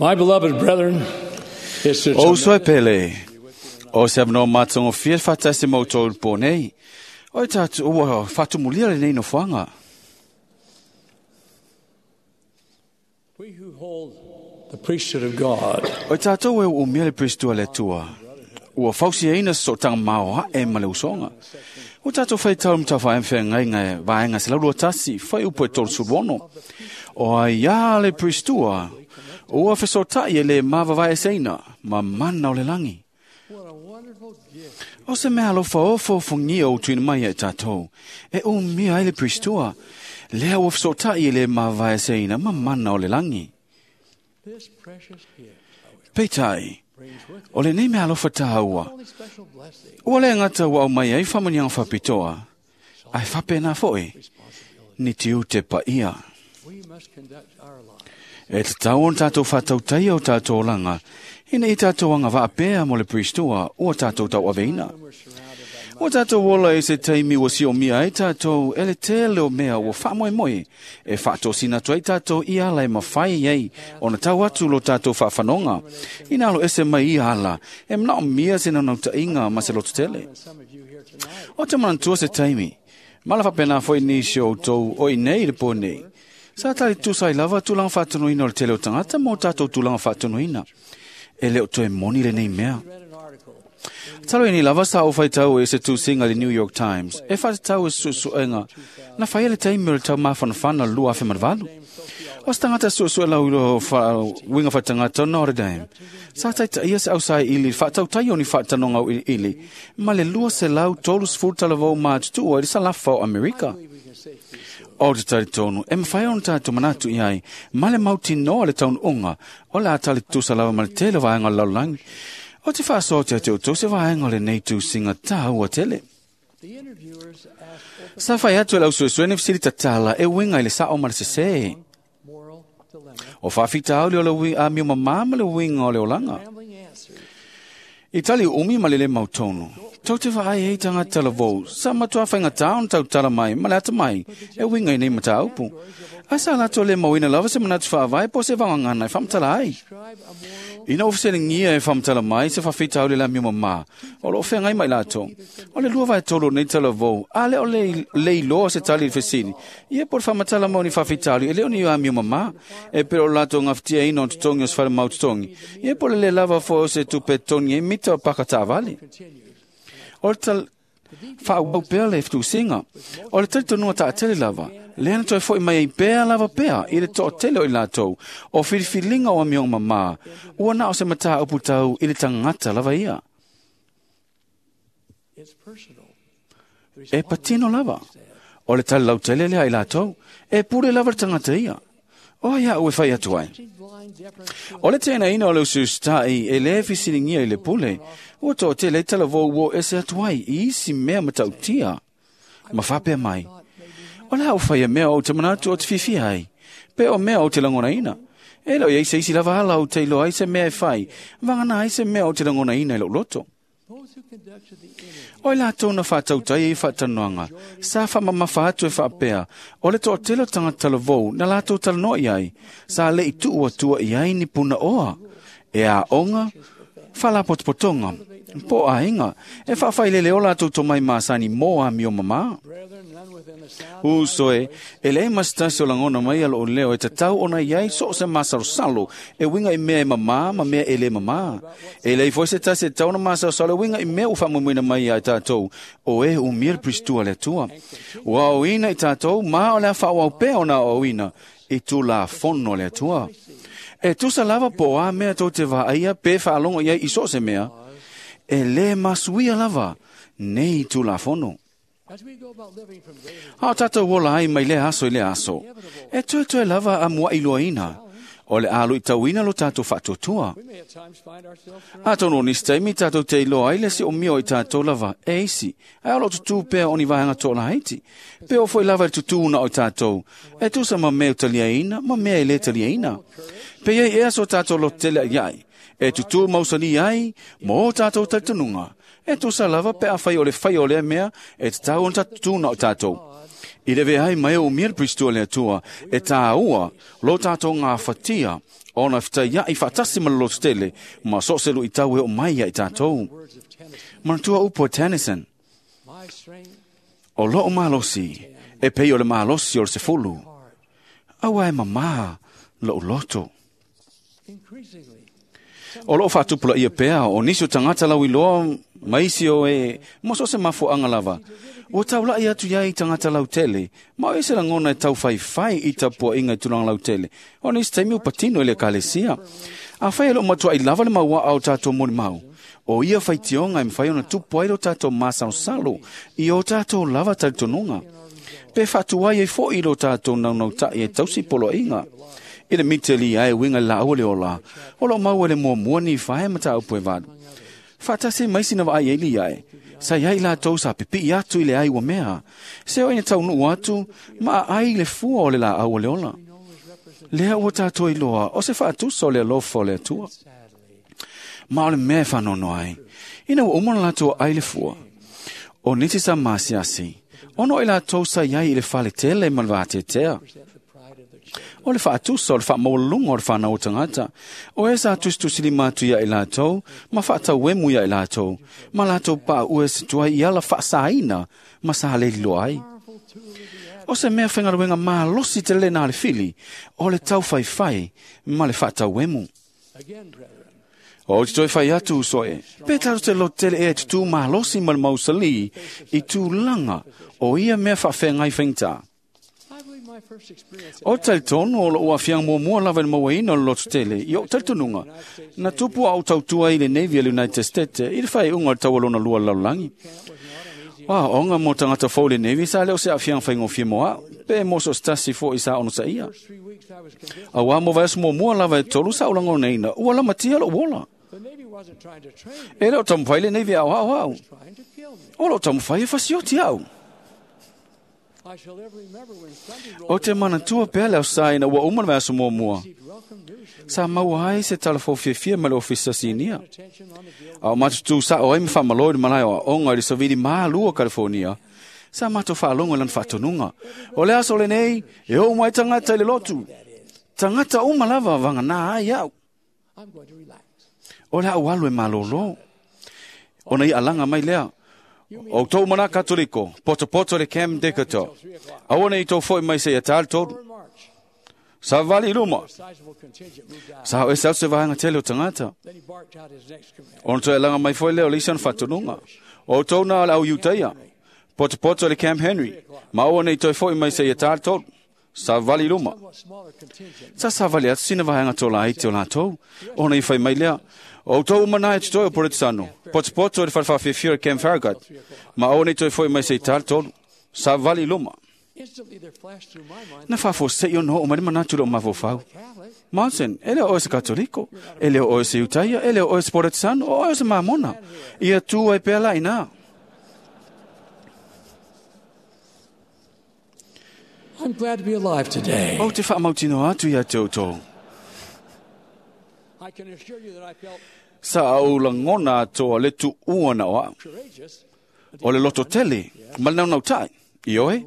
My beloved brethren, it's a O uso e pele, o se avanoa matagofie le faatasi ma outou i le po nei. O i tatou ua faatumulia lenei nofoaga. We who hold the priesthood of God O i tatou e uumia le Perisito a le Atua, ua fausiaina se sootaga maoae ma le usoga. Ua tatou faitau le matafaiga feagaiga e vaega 121 fuaiupu e 36. O aiā le Perisitoa, ua fesootai e lē mavavaeseina ma mana o le lagi. What a wonderful gift. O se mea alofa ofofogia o tuuina mai ia i tatou, e umia ai le Perisitoa, lea ua fesootai e lē mavavaeseina ma mana o le lagi. This precious gift Peitai, brings with it o lenei mea alofa tāua, only special blessing, ua le gata ua aumai ai faamanuiaga faapitoa, ae faapena foʻi, responsibility. ni tiute paia. We must conduct our lives E tatau ona tatou faatautaia o tatou olaga, ina ia tatou agavaa pea mo le Perisitoa ua tatou tauaveina. when we're surrounded by Ua tatou ola i se taimi ua siomia ai tatou e le tele o mea ua faamoemoe e faatosina atu ai tatou i ala e mafai ai ona tau atu lo tatou faafanoga. Ina alo ese mai ia ala e manaomia se naunautaiga ma se lototele. and some of you here tonight. O te manatua se taimi, ma la faapena foʻi nisi o outou o i nei i le po nei. Sa tali tusa ai lava tulaga faatonuina o le tele o tagata ma o tatou tulaga faatonuina. E le o toe moni lenei mea. Read an article Talo i nei lava sa o faitau e se tusiga i le New York Times e faatatau e suesuega na faia le taimi o le taumafanafana o le 2008. O se tagata suesue lau i lo uiga faatagata o Notre Dame. Sa taitaia se ausaili i le faatautai o ni faatanoga auiliili ma le 230 talavou matutua i le salafa o Amerika. we can safely say O te talitonu, e mawhai ona tātou manatu i ai, ma le mautinoa le taunuuga, o le a tali tusa lava ma le tele o vaega o le lalolagi. O te faasoa te ate o tau se vaega o lenei tusiga tāua tele. The interviewers asked open Sa fai atu e le ausuesue ni fesili tatala e uiga i le sao ma le sesē. moral dilemma, O faafitauli o le amio mamā ma le uiga o le olaga. rambling answers I tali umi ma le le mautonu. Tau te vaai ai tagata lavou, sa matua faigata ona tautala mai ma le atamai, e uiga i nei mataupu. Ae sa latou le mauina lava se manatu faavae po o se vagagana e faamatala ai. describe a moral Ina ua fesiligia e faamatala mai se faafitauli le amio mamā, o loo feagai mai latou. O le 2/3 o nei talavou, a le o le, le iloa se tali i le fesili. Ia po o le faamatala mau ni faafitauli, e le o ni amio mamā, e pei o le latou gafatiaina o totogi o se falemau totogi. Ia po o le lē lava foi o se tupe totogi ai mita o paka taavale. continues. O le tal faaauau pea le fetusiga. O le talitonuga taatele lava, lea na toe foʻi mai ai pea lava pea i le toatele o i latou, o filifiliga o amioga mamā, ua na o se mataupu tau i le tagata lava ia. It's personal. E patino lava. O le tali lautele lea i latou, e pule lava le tagata ia. O ai au e fai atu ai. Blind deference to O le tenaina o le usustaʻi e lē fesiligia i le pule, ua toatele ai talavou ua o ese atu ai i isi mea matautia. Ma faapea mai, o le a ou faia mea ou te manatu o te fiafia ai, pe o mea ou te lagonaina. E le o iai se isi lava ala ou te iloa ai se mea e fai, vagana ai se mea ou te lagonaina i lou loto. those who conducted the interview O i latou na faatautai ai faatanoaga, sa faamamafa atu e faapea, o le toatele o tagata talavou na latou talanoa i ai, sa leʻi tuu atua i ai ni punaoa, e aoga, faalapotopotoga, po o aiga, e faafailele o latou tomai masani mo amio mamā. brethren, none within the sound Uso e, e leai ma se tasi o lagona mai a loo leo e tatau ona iai so o se masalosalo e uiga i mea e mamā ma mea e lē mamā. E leai foi se tasi e tatau ona masalosalo e uiga i mea ua faamoemoeina mai ia i tatou, o e umia le Perisitoa a le Atua. Ua aoina i tatou ma o le a faaauau pea ona aoaoina i tulafono a le Atua. E tusa lava po o a mea tou te vaaia pe faalogo i ai i so o se mea, e lē masuia lava nei tulafono. as we go about living from day to A o tatou ola ai mai lea aso i lea aso. E toe lava a muaʻiloaina. O le a luitauina lo tatou faatuatua. we may at times find ourselves Atonu o nisi taimi tatou te iloa ai le siomia o i tatou lava e isi. Ae o loo tutū pea o ni vaega toalaiti. Pe o foi lava i le tutū na o i tatou. E tusa ma mea o taliaina ma mea e lē taliaina. Pe iai ea so tatou lototele ai. E tutū mausali ai mo o tatou talitonuga. E tusa lava pe afai o le fai o lea mea e tatau ona tutū na o tatou. I le vea ai mai o umia le Pristua le Atua, e tāua lo tātou ngā whatia, ona whitai i whaatasi ma le loto tele, ma so se lui tau e o mai ia i tātou. Manatua upo Tennyson, o loo malosi, e pei o le malosi o le sefulu. Aua e mamā loo loto. O loo whaatupula ia pea, o nisi o tangata lau iloa, maisi o e, mo so se mafuanga lava. Ua taulai atu iai tangata lautele, ma o ese langona e tau whai i tapua inga i tūranga lautele. O nisi taimi o patino i le kalesia. A whai elo matua i lava le maua au tātou moni mau. O ia whaitionga e mwhai ona tupu ai lo tātou māsaosalo i o tātou lava talitonunga. Pe whātua ai e fo i lo tātou naunau tai e tausi polo inga. I le miteli ai winga la au le ola. O lo mau ele mua mua ni whae mata au pue vadu. Whaatase maisi na waai eili ai. Sa iai la tau sa pipi atu i le ai ua mea. Se o ina tau nuu atu, ma ai le fua o le la au o le ola. Lea ua tātou i loa, o se whaatusa o le alofa o le Atua. Ma o le mea whanono ai. Ina ua umana lātou ai le fua. O niti sa maasiasi. Ono i lātou sa iai i le whale tele ma le vātetea. O le whaatusa o le whaamaulunga o le whanau o tangata. O e sa tustusili mātu ia i lātou, ma whaatauemu ia i lātou, ma lātou pā ue se tuai i ala whaasaina, ma sa haleli loa ai. O se mea whengaruenga mālosi te lena le fili, o le tau whai ma le whaatauemu. O te toi whai atu usoe, pe tātou te lote tele e te tū mālosi ma le mausali i tūlanga o ia mea whaawhengai whengta. O talitonu o lo ua fiang mua mua lava le mauaina o le loto tele, i o talitonunga. Na tupu au tautua i le Navy a le United States, i le whai unga o le taualona lua lalolagi. Wa, onga mo tangata fou le Navy, sa leo se a fiang whai ngofie moa, pe mo so stasi fo i sa ono sa ia. A wā mo vaias mua mua lava e tolu sa ulango neina, ua lama tia lo uola. E leo tamuwhai le Navy au au au. O lo tamuwhai e fasioti au. O te manatua pea leo sa ina ua umana vaiaso mua mua. Sa maua ai se talafo fiafia ma le ofisa sinia. A o matutu sa o ai mwhamaloi malai o onga i le savili mālua California. Sa mato whaalongo lan whaatonunga. O le aso le nei, e o mai tangata i le lotu. Tangata uma lava wanga nā ai au. O le au alu e malolo. O nei alanga mai lea. O tō mana katoliko, poto poto le Cam Decatur. Aua nei tō foi mai se ia tāle tōru. Sa vali luma. Sa o e sau se vahanga tele o tangata. Ona toe alanga mai foi leo lisa na whatununga. O tō nā le au Iutaia. Poto poto le Camp Henry. Ma aua nei toe foi mai se ia tāle tōru. Sa vali luma. Sa sa vali atu sina vahanga tō la te o lātou. Ona i whai mai lea. O tō umana e te toi o Poretsano. Poto poto le whalewhawhiwhio Camp Farragut. Ma aua nei toe foi mai se i tāle tōru. Sa vali luma. Na whafo se i ono o mai manatu lo mafofau. Monsen, ele o se katoliko, ele o se Utaia, ele o se Poretsano, o se Mamona. Ia tū ai pēla ina. I'm glad to be alive today. O te whaamautino atu ia te autou. I can assure you that I felt Sa au langona toa le tu uana oa. courageous. O le loto tele, ma le naunau tai. I oe?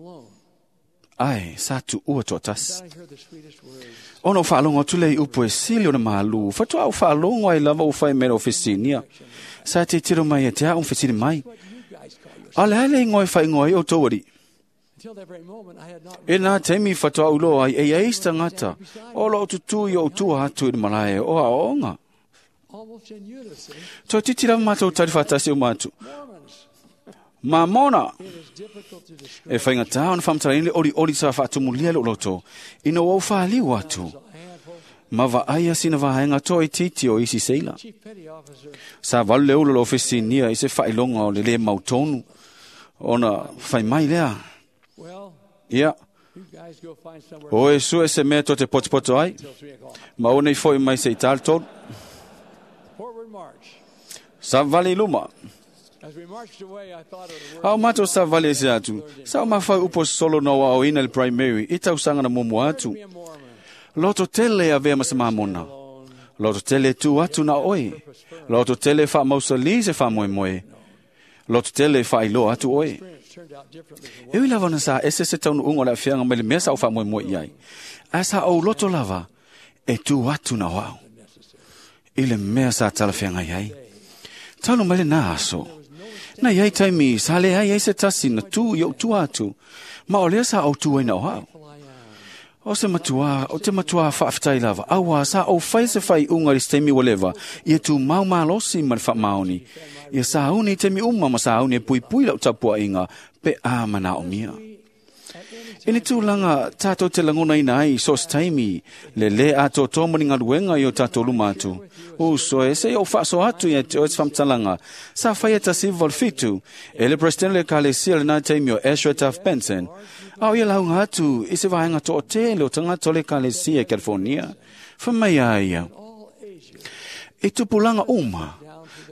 Ai, sa tu ua toa tas. I heard the sweetest words. Ono whaalongo atu lei upo e sili o na malu. Whatua au whaalongo ai lava o whai mera o fesinia. Sa te tiro mai e te au fesini mai. What do you guys call yourself? Ale hele ngoi whai ngoi o tōwari. Until that very moment, I had not E nā teimi whatua ulo ai e eista ngata. O lo tutu i o tua atu i le malae o a onga. almost in unison. Toi titira mātou tari whatasi o mātou. Mormons. Mamona! It is difficult to describe E whainga tā ona whamtara le ori ori sa whaatumulia le uloto. Ina wau whaaliu atu. a handful. Ma wa aia sina vahenga toi titi o isi seila. Chief Petty Officer Sa valu le ulo lo ofisi nia i se whailonga o le le mautonu. Ona whai mai lea. Well, Ia, you guys go find somewhere o e sue se mea to te potopoto ai. until 3 o'clock. Ma o nei foi mai se i tāle tōru. Forward march. Sa vali luma. As we marched away, I thought of the words. Au mātou sa vali e se atu. Sa o mawhai upo solo noa o ina le primary. I tau sanga na mumu atu. Be a Mormon. Loto tele a vea masa mamona. Loto tele tu atu na oi. Loto tele wha mausali se wha moe moe. Loto tele wha ilo atu oi. Experience E ui lava ona sa ese se taunuuga o le aafiaga mai le mea sa ou faamoemoe i ai, ae sa ou loto lava e tu atu na o au i le mea sa talafeagai ai. Talu mai lenā aso, na iai taimi sa leai ai se tasi na tu i ou tua atu, ma o lea sa ou tu ai na o au. O se matua, o te matua faafetai lava, auā sa ou faia se faaiuga i le se taimi ua leva, ia tumau malosi ma le faamaoni, ia sauni i taimi uma ma sauni e puipui lau tapuaiga pe a manaomia. I ni tulaga tatou te lagonaina ai i so o se taimi, le lē atoatoa ma ni galuega i o tatou luma atu. Uso e, se i ou faasoa atu ia te oe se faamatalaga sa faia 1987 e le Peresetene o le Ekalesia i lenā taimi o Ezra Taft Benson, a o ia lauga atu i se vaega toatele o tagata o le Ekalesia i California. Fai mai a ia, I tupulaga uma,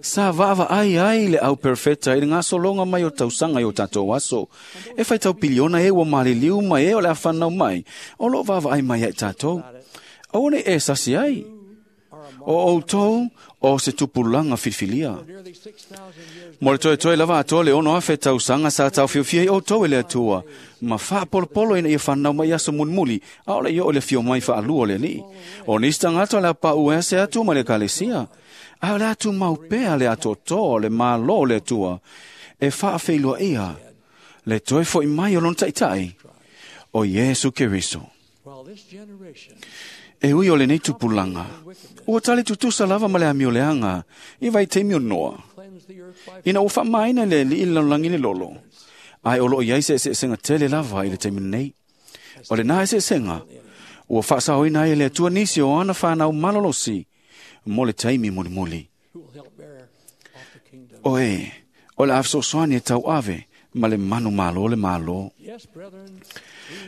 sa vaavaai ai le au perofeta i le gasologa mai o tausaga i o tatou aso. E faitau piliona e ua maliliu ma e o le a fanau mai, o lo o vaavaai mai ia i tatou. Aua ne i e sasi ai. O outou o se tupulaga filifilia. Mo le toetoe lava atoa le 6,000 tausaga sa taofiofia ai outou e le Atua, ma faapolopolo ina ia fanau mai i aso mulimuli, a o le i oo i le afio mai faalua o le Alii. O nisi tagata o le a paʻu ese atu ma le Ekalesia, a o le a tumau pea le atoatoa o le Malo o le Atua e faafeiloaia le toe foʻi mai o lona Taitai, o Iesu Keriso. E ui o lenei tupulaga, ua tali tutusa lava ma le amioleaga i vaitaimi o Noa, ina ua faamaina e le Alii le lalolagi le lolo, ae o lo o i ai se eseesega tele lava i le taimi lenei. O lena eseesega, ua faasaoina ai e le Atua nisi o ana fanau malolosi mo le taimi mulimuli. O e, o le a fesoasoani e tauave ma le manumalo o le Malo.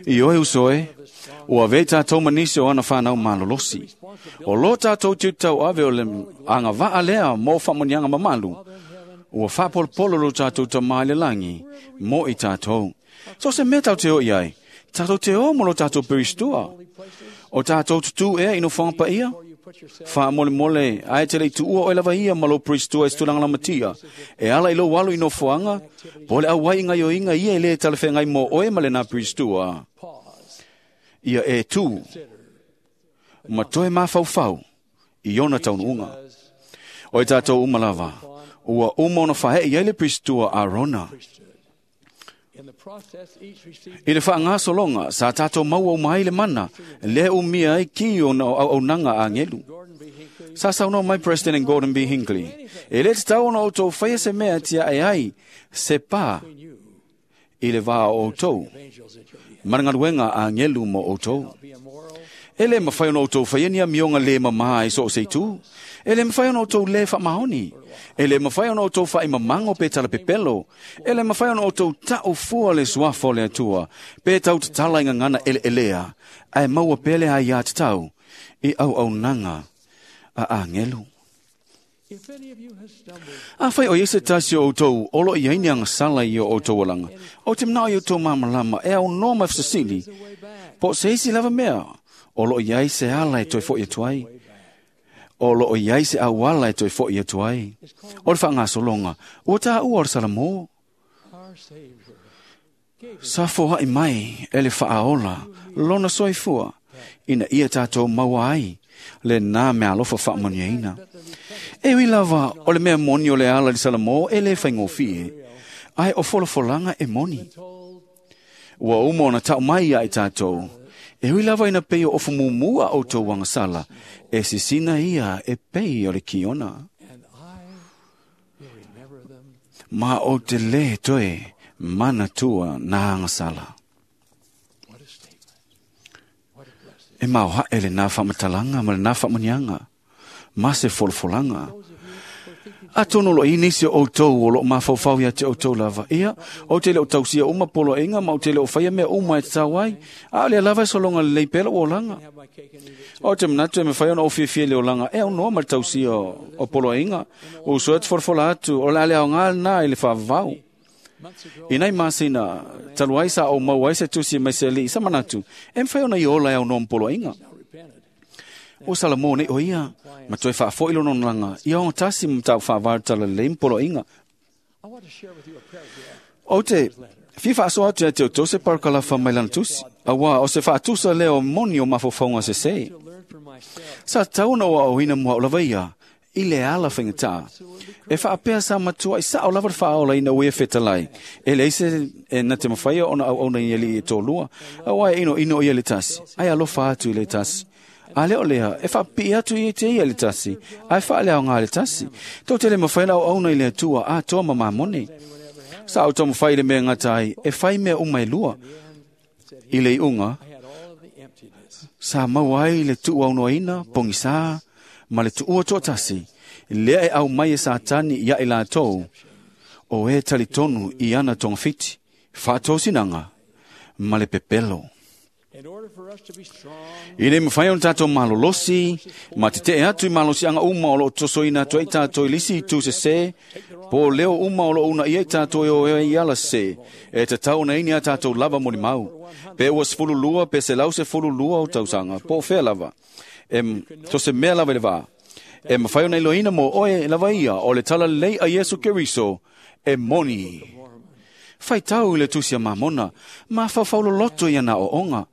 Ioe uso e, ua avea i tatou ma nisi o ana fanau malolosi. O lo tatou tiute tauave o le agavaa lea mo faamanuiaga mamalu, ua faapolopolo lo tatou Tama i le lagi mo i tatou. So se mea tatou te o i ai, tatou te o mo lo tatou peristua. O tatou tutū ea i nofoaga paia? Faamolemole, ae te le i tuua oe lava ia ma lou peristua i se tulaga lamatia, e ala i lou alo i nofoaga, po o le auai i gaioiga ia e le talafeagai mo oe ma lenā peristua. Ia e tū ma toe mafaufau i ona taunuuga. O i tatou uma lava, ua uma ona faaee i ai le peristua Arona. I le faagasologa, sa tatou maua uma ai le mana, lea e umia ai ki ona o auaunaga a agelu. Sa saunoa mai President Gordon B. Hinckley, E le tatau ona outou faia se mea e tiae ai se pa i le va o outou ma le galuega a agelu mo outou. E le mafai ona outou faia ni amioga le mamā i so o se itu. E le mafai ona outou le faamaoni. E le mafai ona outou faaimamago pe talapepelo. E le mafai ona outou ta'u fua le suafa o le Atua, pe tau tatala i gagana eleelea, ae maua pea le aiatatau i auaunaga a agelu. Afai o i ai se tasi o outou o lo o i ai ni agasala i o outou olaga, ou te manao i outou malamalama e aunoa ma fesili, po o se isi lava mea o lo o i ai se ala e toe foʻi atu ai. O lo o i ai se auala e toe foʻi atu ai. O le faagasologa, ua taua o le Salamo. Sa foai mai e le Faaola lona soifua ina ia tatou maua ai lenā meaalofa faamanuiaina. E ui lava o le mea moni o le ala i le Salamo e le faigofie, ae o folafolaga e moni. Ua uma ona tau mai ia i tatou, e ui lava ina pei o ofu mumu a outou agasala, e sisina ia e pei o le kiona. Ma ou te lē toe manatua nā agasala. E maoaʻe lenā faamatalaga ma lenā faamanuiaga, ma se folafolaga. Atonu o lo o i ai nisi o outou o lo o mafaufau ia te outou lava, ia, ou te le o tausia uma poloaiga ma ou te le o faia mea uma e tatau ai, a o lea lava e sologa lelei pea lou olaga. Ou te manatu e mafai ona ou fiafia i le olaga e aunoa ma le tausia o poloaiga. Ua uso atu folafola atu, o le a le aoga lena i le faavavau. I nai masina talu ai sa ou maua ai se tusi mai se alii, sa manatu, e mafai ona i ola e aunoa ma poloaiga. Ua Salamo nei o ia, ma toe faafoi lona olaga, ia ogatasi ma mataupu faavae o le talalelei ma poloaiga. O te fia faasoa atu ia te outou se parakalafa mai lana tusi, auā o se faatusa lea o moni o mafaufauga sesē. Sa tatau ona ou aoaoina mo a'u lava ia i le ala faigatā. E faapea sa matua'i sa'o lava le faaolaina ua ia fetalai. E leai se e na te mafaia ona auauna i alii e toalua, auā e inoino ia i le tasi, ae alofa atu i le tasi. A le o lea, e faapipii atu ia te ia i le tasi, ae faaleaoga i le tasi. Tou te le mafai ona auauna i le Atua atoa ma mamone. Sa ou taumafai i le mea e gata ai, e fai mea uma e lua. I le iuga, sa maua ai le tuuaunoaina, pogisā, ma le tuua toatasi, lea e aumai e Satani ia i latou, o e talitonu i ana togafiti, faatosinaga, ma le pepelo. Ina ia mafai ona tatou malolosi ma tetee atu i malosiaga uma o loo tosoina atu ai tatou i le isi itu sesē, po o leo uma o loo uunaia i tatou e o ai i ala sesē, e tatau ona i ai ni a tatou lava molimau. Pe ua 12 pe 112 o tausaga, po o fea lava, e so se mea lava i le vā, e mafai ona iloaina mo oe lava ia o le talalelei a Iesu Keriso e moni. Faitau i le tusi a Mamona, mafaufau loloto i ana aoaoga,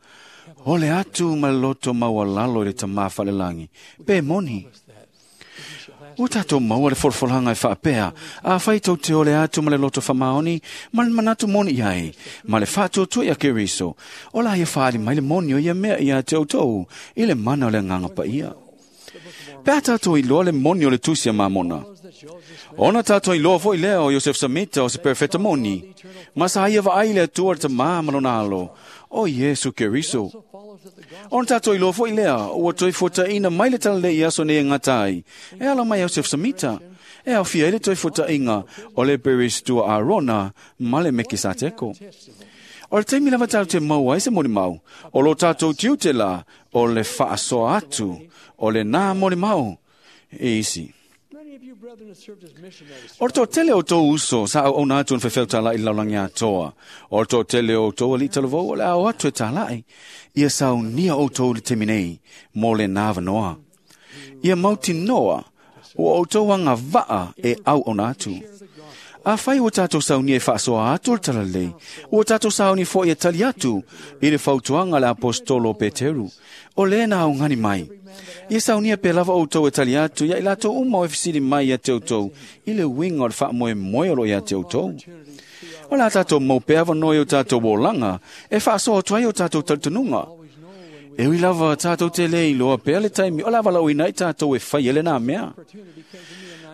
o le atu ma le loto maualalo i le Tamā Falelagi, pe moni. Ua tatou maua le folafolaga e faapea, afai tou te ole atu ma le loto faamaoni, ma le manatu moni i ai, ma le faatuatua ia Keriso, o la ia faaali mai le moni o ia mea ia te outou, i le mana o le Agaga Paia. Pe a tatou iloa le moni o le tusi a Mamona, ona tatou iloa foi lea o Iosef Samita o se perofeta moni, ma sa ia vaai le Atua le Tamā ma lona alo, o Iesu Keriso. Ona tatou iloa foi lea, ua toe fuataina mai le talalelei i aso nei e gata ai, e ala mai Iosef Samita, e aofia ai le toe fuataina o le Peristua Arona ma le Mekisateko. O le taimi lava tatou te maua ai se molimau, o lo tatou tiute la o le faasoa atu o lenā molimau i isi. O le toatele o outou uso sa auauna atu i le faifeau talai i le lalolagi atoa. O le toatele o outou alii talavou o le a o atu e talai. Ia saunia outou i le taimi nei mo lenā avanoa. Ia mautinoa ua outou agavaa e auauna atu. Afai ua tatou saunia e faasoa atu le talalelei, ua tatou sauni foi e tali atu i le fautuaga a le aposetolo o Peteru, o lē na augani mai. Ia saunia pea lava outou e tali atu ia i latou uma o e fesili mai ia te outou i le uiga o le faamoemoe o lo o ia te outou. O le a tatou mau pea avanoa i o tatou olaga e faasoa atu ai o tatou talitonuga. E ui lava tatou te le iloa pea le taimi o le a valaauina ai tatou e fai ai lenā mea.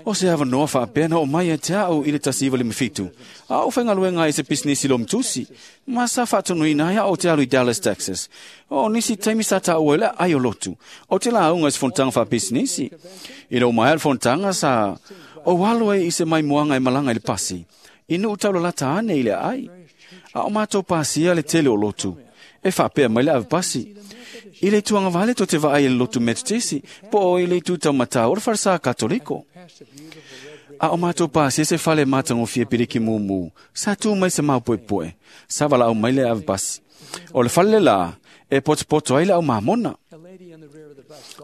O se avanoa faapea na oo mai ia te a'u i le 1957, a ou faigaluega ai i se pisinisi lomitusi, ma sa faatonuina ai a'u ou te alu i Dallas, Texas. O nisi taimi sa taua ai le aai o lotu, ou te lauga i se fonotaga faapisinisi. Ina ua maea le fonotaga, sa ou alu ai i se maimoaga e malaga i le pasi, i nuu taulalata ane i le aai. A o matou pasia le tele o lotu, e faapea mai le ave pasi, I le itu agavale tou te vaai i le lotu Metotisi, po o i le itu taumatā o le falesā Katoliko. A o matou pasia se fale matagofie piliki mumu, sa tu mai se maopoepoe, sa valaau mai le ave pasi. O le fale le lā, e potopoto ai le au mamona.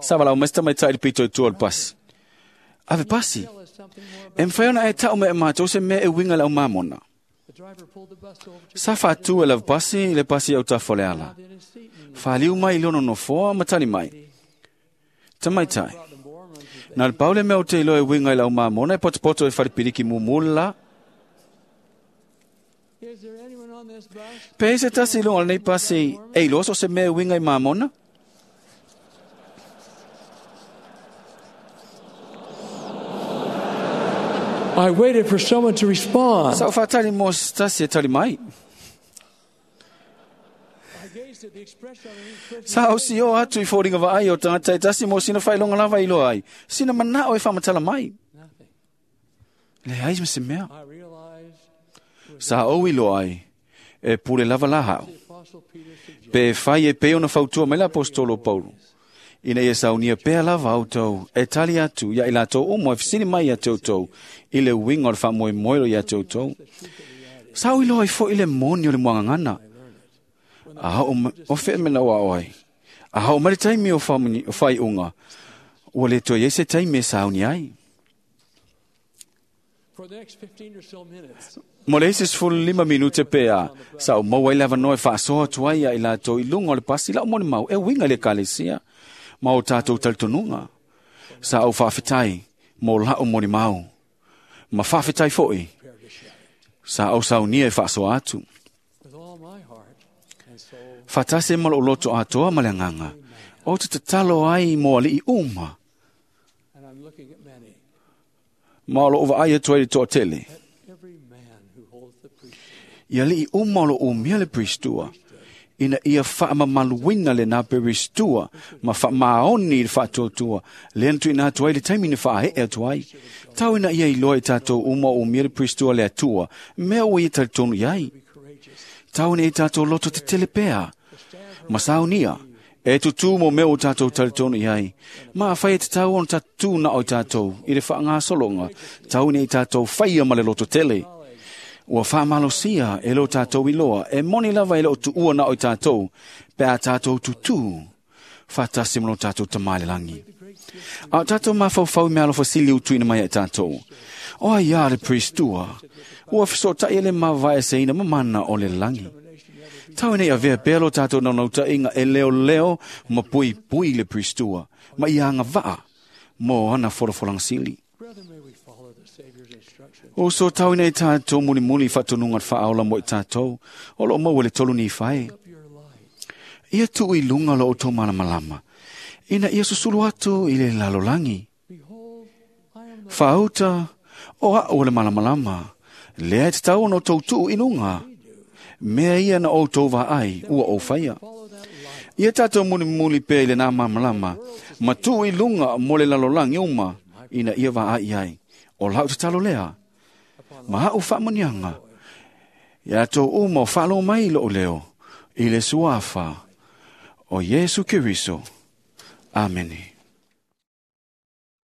Sa valaau mai se tamaitai i le pito i tua o le pasi. Ave pasi. E mafai ona e tau mai e matou se mea e uiga i le au mamona. Sa faatu e le ave pasi i le pasi i autafa o le ala. Faliu mai i lona nofoa ma tali mai. Tamaitai. Na le pau le mea ou te iloa e uiga i lau mamona e potopoto e falepiliki mumu le la. Pe ai se tasi i luga o lenei pasi e iloa so o se mea e uiga i mamona? I waited for someone to respond. Sa ou faatali mo se tasi e tali mai. Sa ou sio atu i foliga vaai o tagata e tasi mo sina faailoga lava e iloa ai, sina manao e faamatala mai. Leai ma se mea. Sa ou iloa ai, e pule lava la hao. Pe fai e pei ona fautua mai le aposetolo o Paulo, ina ia saunia pea lava outou e tali atu ia i latou uma e fesili mai ia te outou i le uiga o le faamoemoe o ia te outou. Sa ou iloa ai foi le moni o le muagagana. A oo mai, o fea mea na ou aao ai? A oo mai le taimi o faaiuga, ua le toe i ai se taimi e sauni ai. For the next 15 or so minutes, Mo le isi 15 minute pea, sa o maua ai le avanoa e faasoa atu ai ia i latou i luga o le pasi lau molimau e uiga i le ekalesia ma o tatou talitonuga. Sa ou faafetai mo la'u molimau. Ma faafetai foi, prepare to share sa ou saunia e faasoa atu. with all my heart and soul. Faatasi ma lou loto atoa ma le agaga, o te tatalo ai mo ali'i uma, And I'm looking at many. ma o lou vaai atu ai i le toatele. Let every man who holds the priesthood Ia ali'i uma o lou umia le pristua, ina ia faamamaluina lenā peristua ma faamaoni i le faatuatua, lea na tuuina atu ai le taimi na faaee atu ai. Tau ina ia iloa i tatou uma o umia le pristua le Atua, mea ua ia talitonu i ai. be courageous, Tau ina ia tatou loto tetele pea, to stand ma saunia, e tutū mo mea o tatou talitonu i ai. Ma awhai e te tau ona tatū na o tatou i le whaangasologa, tau ina i tatou whaia ma le loto tele. Ua whaamalosia e lo tatou iloa, e moni lava e lo tuua na o tatou, pe a tatou tutū, whaatasi mo lo tatou tamai le langi. A o tatou mafaufau i mea alofa sili utuina mai e tatou. O ai a le pristua, ua fesotai e le mavae seina mamana o le langi. Tau ina ia avea pea lo tatou naunautaiga e leo leo ma pui pui le pristua, ma ia anga vaa mo ana folafolaga sili. Brethren, may we follow the Savior's instructions. O so tau ina i tatou mulimuli faatonuga le faaola mo i tatou, o loo maua le tolu ni fae. Up your light. Ia tuu i luga lo outou malamalama, ina ia susulu atu i le lalolagi. Behold, I am the Faauta, o a'u o le malamalama, lea e tatau ona outou tuu i luga. Mea ia na outou vaai, ua ou faia. follow that light. Ia tatou mulimuli pea i lenā malamalama, ma tuu i luga mo le lalolagi uma, ina ia vaai ai. O lau tatalo lea, ma a'u faamuniaga, ia tou uma o faalogo mai i lo'u leo, i le suafa o Iesu Keriso. Amene.